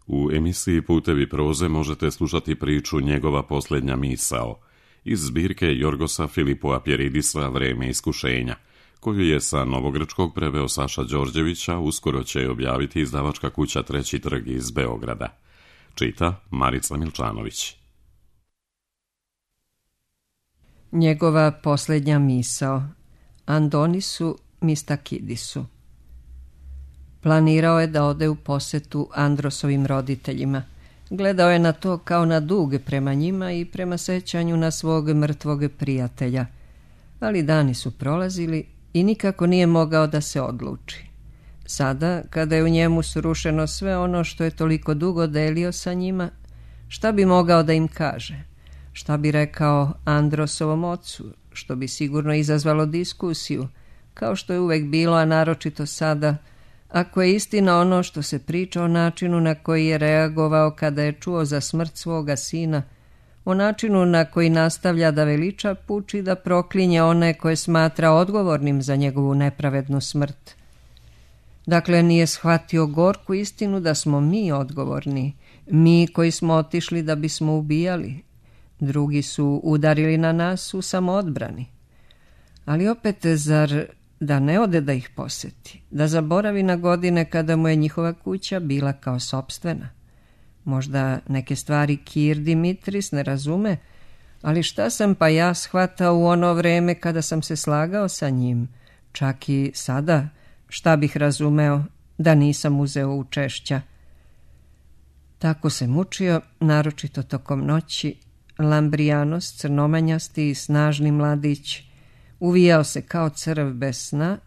U emisiji Putevi proze možete slušati priču Njegova posljednja misao iz zbirke Jorgosa Filipoa Pjeridisa Vreme iskušenja, koju je sa novogrčkog preveo Saša Đorđevića, uskoro će objaviti izdavačka kuća Treći trg iz Beograda. Čita Marica Milčanović. Njegova posljednja misao. Andonisu Mistakidisu. Planirao je da ode u posetu Androsovim roditeljima. Gledao je na to kao na dug prema njima i prema sećanju na svog mrtvog prijatelja. Ali dani su prolazili i nikako nije mogao da se odluči. Sada, kada je u njemu srušeno sve ono što je toliko dugo delio sa njima, šta bi mogao da im kaže? Šta bi rekao Androsovom ocu, što bi sigurno izazvalo diskusiju, kao što je uvek bilo, a naročito sada, ako je istina ono što se priča o načinu na koji je reagovao kada je čuo za smrt svoga sina, o načinu na koji nastavlja da veliča puč i da proklinje one koje smatra odgovornim za njegovu nepravednu smrt. Dakle, nije shvatio gorku istinu da smo mi odgovorni, mi koji smo otišli da bismo ubijali. Drugi su udarili na nas u samoodbrani. Ali opet, zar da ne ode da ih poseti, da zaboravi na godine kada mu je njihova kuća bila kao sopstvena? Možda neke stvari Kir Dimitris ne razume, ali šta sam pa ja shvatao u ono vreme kada sam se slagao sa njim, čak i sada, šta bih razumeo da nisam uzeo učešća. Tako se mučio, naročito tokom noći. Lambrijanos, crnomanjasti i snažni mladić, uvijao se kao crv bez sna,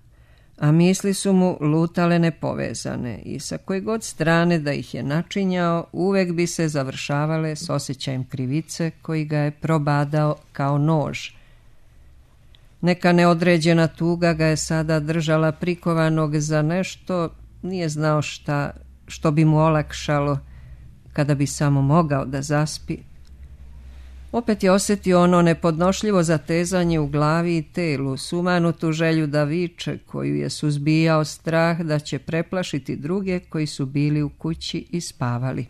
a misli su mu lutale nepovezane i sa koje god strane da ih je načinjao, uvek bi se završavale s osjećajem krivice koji ga je probadao kao nož. Neka neodređena tuga ga je sada držala prikovanog za nešto, nije znao šta, što bi mu olakšalo kada bi samo mogao da zaspi. Opet je osjetio ono nepodnošljivo zatezanje u glavi i telu, sumanutu želju da viče, koju je suzbijao strah da će preplašiti druge koji su bili u kući i spavali.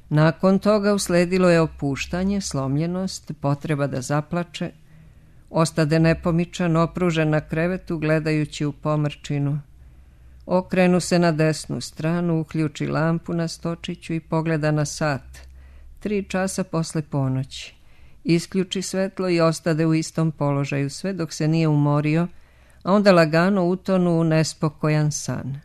Nakon toga usledilo je opuštanje, slomljenost, potreba da zaplače. Ostade nepomičan, opružen na krevetu, gledajući u pomrčinu. Okrenu se na desnu stranu, uključi lampu na stočiću i pogleda na sat. 3 časa posle ponoći. Isključi svetlo i ostade u istom položaju sve dok se nije umorio, a onda lagano utonu u nespokojan san.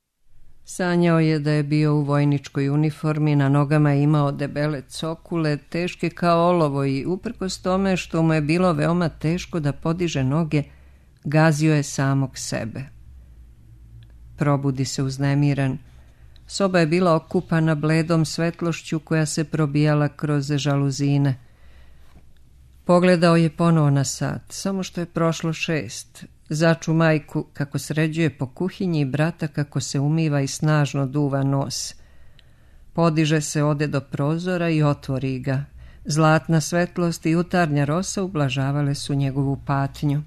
Sanjao je da je bio u vojničkoj uniformi, na nogama je imao debele cokule, teške kao olovo i uprkos tome što mu je bilo veoma teško da podiže noge, gazio je samog sebe. Probudi se uznemiran. Soba je bila okupana bledom svetlošću koja se probijala kroz žaluzine. Pogledao je ponovo na sat, samo što je prošlo 6. Začu majku kako sređuje po kuhinji i brata kako se umiva i snažno duva nos. Podiže se, ode do prozora i otvori ga. Zlatna svetlost i jutarnja rosa ublažavale su njegovu patnju.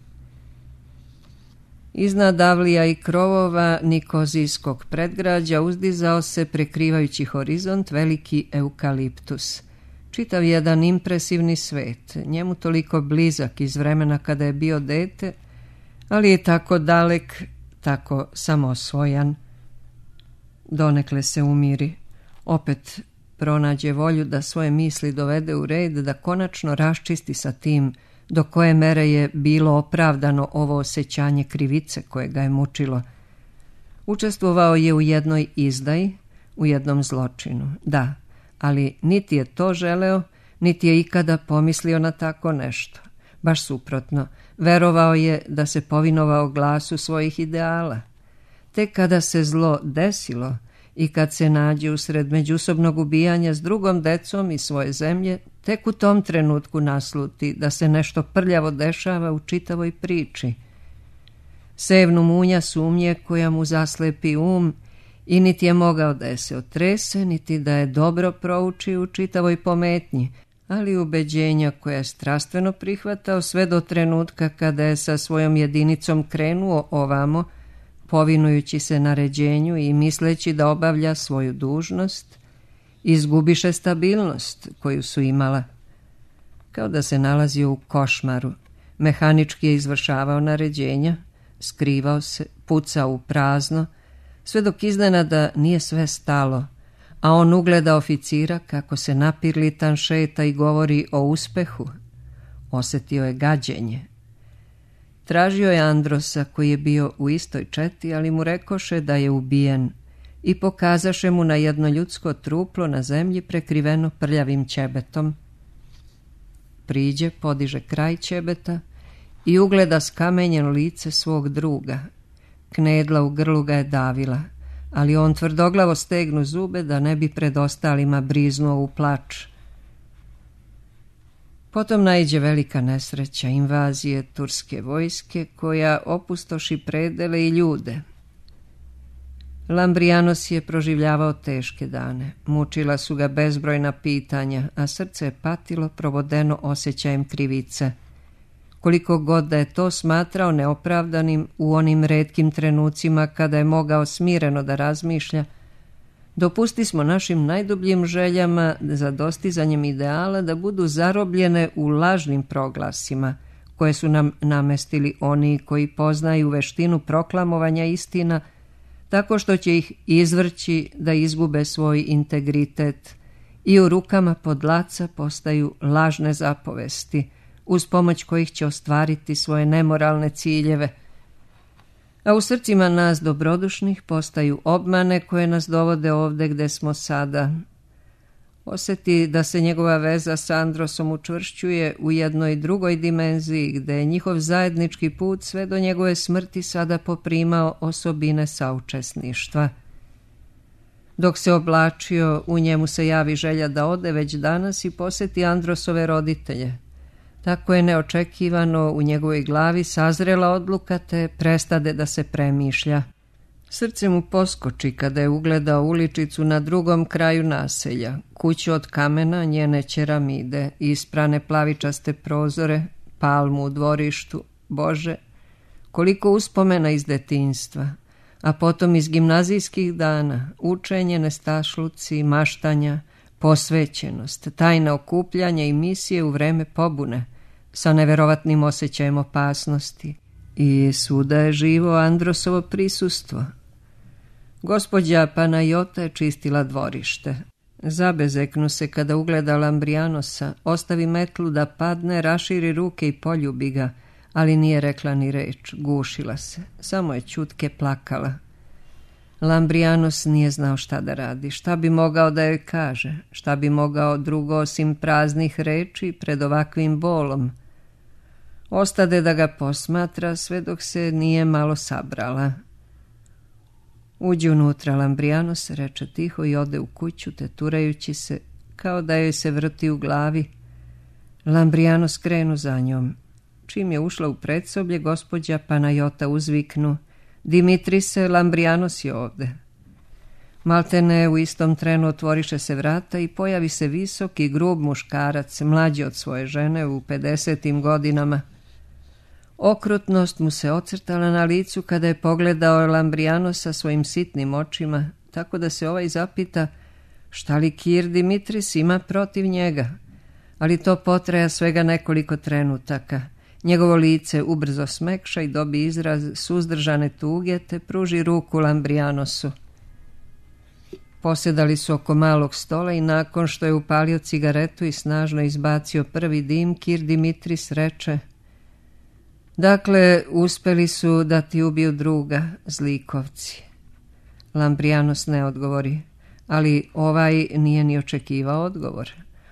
Iznad avlija i krovova Nikozijskog predgrađa uzdizao se, prekrivajući horizont, veliki eukaliptus. Čitav jedan impresivni svet, njemu toliko blizak iz vremena kada je bio dete, ali je tako dalek, tako samosvojan. Donekle se umiri, opet pronađe volju da svoje misli dovede u red, da konačno raščisti sa tim do koje mere je bilo opravdano ovo osjećanje krivice koje ga je mučilo. Učestvovao je u jednoj izdaji, u jednom zločinu, da, ali niti je to želeo, niti je ikada pomislio na tako nešto. Baš suprotno, verovao je da se povinovao glasu svojih ideala. Tek kada se zlo desilo i kad se nađe usred međusobnog ubijanja s drugom decom i svoje zemlje, tek u tom trenutku nasluti da se nešto prljavo dešava u čitavoj priči. Sevnu munja sumnje koja mu zaslepi i niti je mogao da je se otrese, niti da je dobro prouči u čitavoj pometnji, ali ubeđenja koja je strastveno prihvatao sve do trenutka kada je sa svojom jedinicom krenuo ovamo, povinujući se naređenju i misleći da obavlja svoju dužnost, izgubiše stabilnost koju su imala. Kao da se nalazio u košmaru, mehanički je izvršavao naređenja, skrivao se, pucao u prazno, sve dok iznenada nije sve stalo, a on ugleda oficira kako se napirlitan šeta i govori o uspehu. Osjetio je gađenje. Tražio je Androsa koji je bio u istoj četi, ali mu rekoše da je ubijen i pokazaše mu na jedno ljudsko truplo na zemlji prekriveno prljavim ćebetom. Priđe, podiže kraj ćebeta i ugleda skamenjeno lice svog druga. Knedla u grlu ga je davila, ali on tvrdoglavo stegnu zube da ne bi pred ostalima briznuo u plač. Potom naiđe velika nesreća, invazije turske vojske koja opustoši predele i ljude. Lambrijanos je proživljavao teške dane. Mučila su ga bezbrojna pitanja, a srce je patilo provodeno osjećajem krivice. Koliko god da je to smatrao neopravdanim u onim retkim trenucima kada je mogao smireno da razmišlja, dopusti smo našim najdubljim željama za dostizanjem ideala da budu zarobljene u lažnim proglasima koje su nam namestili oni koji poznaju veštinu proklamovanja istina, tako što će ih izvrći da izgube svoj integritet i u rukama podlaca postaju lažne zapovesti, uz pomoć kojih će ostvariti svoje nemoralne ciljeve. A u srcima nas dobrodušnih postaju obmane koje nas dovode ovde gde smo sada. Osjeti da se njegova veza s Androsom učvršćuje u jednoj drugoj dimenziji, gde je njihov zajednički put sve do njegove smrti sada poprimao osobine saučesništva. Dok se oblačio, u njemu se javi želja da ode već danas i posjeti Androsove roditelje. Tako je neočekivano u njegovoj glavi sazrela odluka te prestade da se premišlja. Srce mu poskoči kada je ugledao uličicu na drugom kraju naselja, kuću od kamena, njene ćeramide, isprane plavičaste prozore, palmu u dvorištu. Bože, koliko uspomena iz detinjstva, a potom iz gimnazijskih dana, učenje, nestašluci, maštanja, posvećenost, tajna okupljanja i misije u vreme pobune, sa neverovatnim osjećajem opasnosti. I svuda je živo Androsovo prisustvo. Gospođa Panajota je čistila dvorište. Zabezeknu se kada ugleda Lambrijanosa, ostavi metlu da padne, raširi ruke i poljubi ga, ali nije rekla ni reč, gušila se, samo je ćutke plakala. Lambrijanos nije znao šta da radi, šta bi mogao da joj kaže, šta bi mogao drugo osim praznih reči pred ovakvim bolom. Ostade da ga posmatra sve dok se nije malo sabrala. Uđe unutra Lambrijanos, reče tiho i ode u kuću, teturajući se, kao da joj se vrti u glavi. Lambrijanos krenu za njom. Čim je ušla u predsoblje, gospođa Panajota uzviknu: Dimitrise, Lambrijanos je ovde. Maltene u istom trenu otvoriše se vrata i pojavi se visok i grub muškarac, mlađi od svoje žene u 50. godinama. Okrutnost mu se ocrtala na licu kada je pogledao Lambrijanosa svojim sitnim očima, tako da se ovaj zapita šta li Kir Dimitris ima protiv njega. Ali to potraja svega nekoliko trenutaka. Njegovo lice ubrzo smekša i dobi izraz suzdržane tuge te pruži ruku Lambrijanosu. Posjedali su oko malog stola i nakon što je upalio cigaretu i snažno izbacio prvi dim, Kir Dimitris reče: Dakle, uspeli su da ti ubiju druga, zlikovci. Lambrijanos ne odgovori, ali ovaj nije ni očekivao odgovor.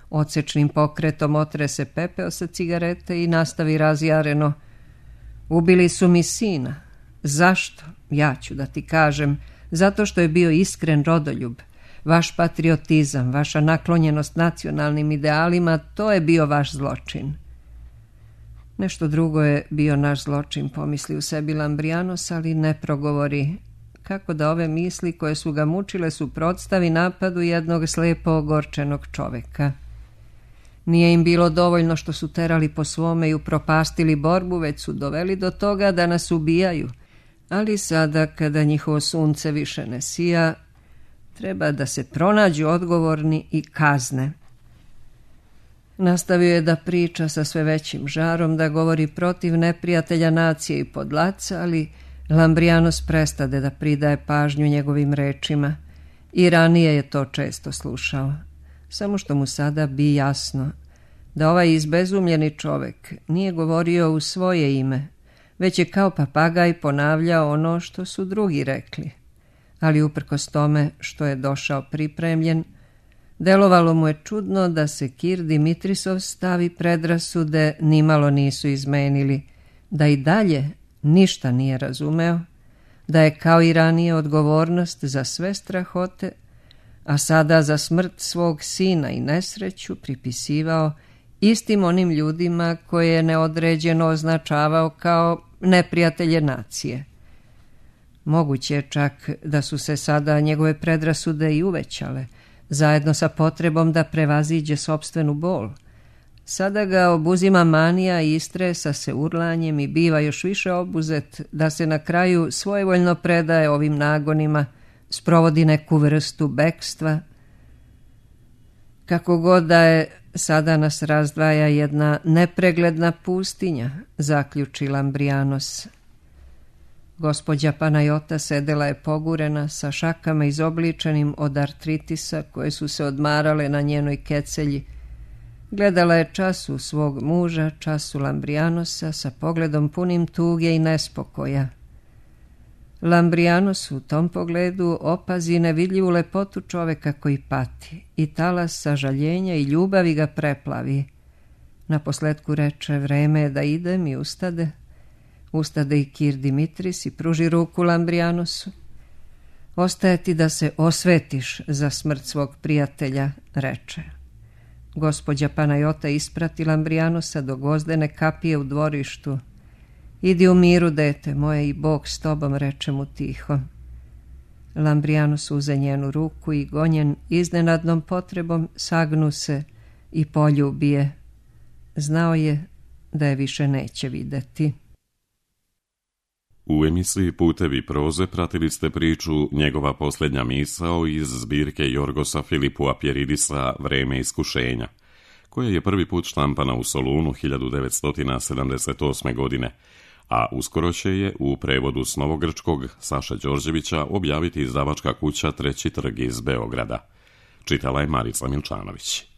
Odsečnim pokretom otre se pepeo sa cigarete i nastavi razjareno: Ubili su mi sina. Zašto? Ja ću da ti kažem. Zato što je bio iskren rodoljub. Vaš patriotizam, vaša naklonjenost nacionalnim idealima, to je bio vaš zločin. Nešto drugo je bio naš zločin, pomisli u sebi Lambrijanos, ali ne progovori. Kako da ove misli koje su ga mučile suprotstavi napadu jednog slepo ogorčenog čoveka. Nije im bilo dovoljno što su terali po svome i upropastili borbu, već su doveli do toga da nas ubijaju. Ali sada, kada njihovo sunce više ne sija, Treba da se pronađu odgovorni i kazne. Nastavio je da priča sa sve većim žarom, da govori protiv neprijatelja nacije i podlaca, ali Lambrijanos prestade da pridaje pažnju njegovim rečima. I ranije je to često slušao. Samo što mu sada bi jasno da ovaj izbezumljeni čovek nije govorio u svoje ime, već je kao papagaj ponavljao ono što su drugi rekli. Ali uprkos tome što je došao pripremljen, delovalo mu je čudno da se Kir Dimitrisov stavi predrasude nimalo nisu izmenili, da i dalje ništa nije razumeo, da je kao i ranije odgovornost za sve strahote, a sada za smrt svog sina i nesreću pripisivao istim onim ljudima koje je neodređeno označavao kao neprijatelje nacije. Moguće je čak da su se sada njegove predrasude i uvećale, zajedno sa potrebom da prevaziđe sopstvenu bol. Sada ga obuzima manija i istresa se urlanjem i biva još više obuzet da se na kraju svojevoljno predaje ovim nagonima, sprovodi neku vrstu bekstva. Kako god da je, sada nas razdvaja jedna nepregledna pustinja, zaključi Lambrijanos. Gospođa Panajota sedela je pogurena sa šakama izobličenim od artritisa koje su se odmarale na njenoj kecelji. Gledala je času svog muža, času Lambrijanosa sa pogledom punim tuge i nespokoja. Lambrijanos u tom pogledu opazi nevidljivu lepotu čoveka koji pati i talas sažaljenja i ljubavi ga preplavi. Naposletku reče: vreme je da idem, i ustade. Ustade i Kir Dimitris i pruži ruku Lambrijanosu. Ostaje ti da se osvetiš za smrt svog prijatelja, reče. Gospođa Panajota isprati Lambrijanosa do gvozdene kapije u dvorištu. Idi u miru, dete moje, i Bog s tobom, reče mu tiho. Lambrijanos uze njenu ruku i gonjen iznenadnom potrebom sagnu se i poljubije. Znao je da je više neće videti. U emisiji Putevi proze pratili ste priču Njegova posljednja misao iz zbirke Jorgosa Filipua Pjeridisa Vreme iskušenja, koja je prvi put štampana u Solunu 1978. godine, a uskoro će je u prevodu s novogrčkog Saše Đorđevića objaviti izdavačka kuća Treći trg iz Beograda. Čitala je Marica Milčanović.